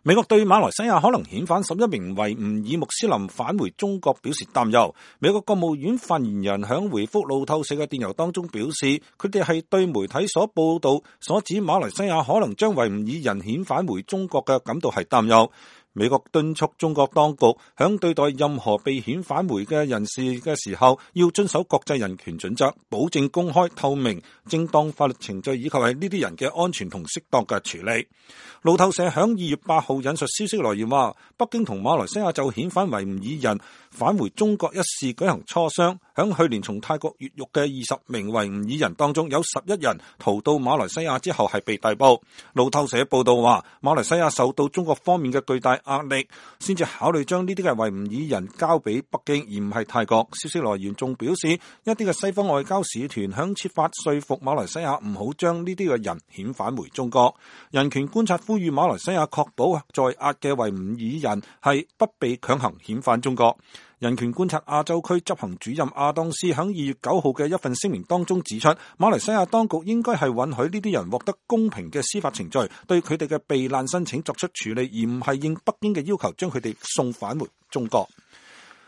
美國對馬來西亞可能遣返11名維吾爾穆斯林返回中國表示擔憂。美國國務院發言人響回覆路透社嘅電郵當中表示，佢哋係對媒體所報道所指馬來西亞可能將維吾爾人遣返回中國嘅感到係擔憂。美國敦促中國當局響對待任何被遣返回嘅人士嘅時候，要遵守國際人權準則，保證公開透明、正當法律程序，以及係呢啲人嘅安全同適當嘅處理。路透社響2月8號引述消息來源話，北京同馬來西亞就遣返維吾爾人返回中國一事舉行磋商。響去年從泰國越獄嘅20名維吾爾人當中，有11人逃到馬來西亞之後係被逮捕。路透社報道話，馬來西亞受到中國方面嘅巨大壓力，先至考慮將呢啲嘅維吾爾人交俾北京，而唔係泰國。消息來源仲表示，一啲嘅西方外交使團響設法說服馬來西亞唔好將呢啲嘅人遣返回中國。人權觀察呼籲馬來西亞確保在押嘅維吾爾人係不被強行遣返中國。人權觀察亞洲區執行主任亞當斯喺2月9號嘅一份聲明當中指出，馬來西亞當局應該係允許呢啲人獲得公平嘅司法程序，對佢哋嘅避難申請作出處理，而唔係應北京嘅要求將佢哋送返回中國。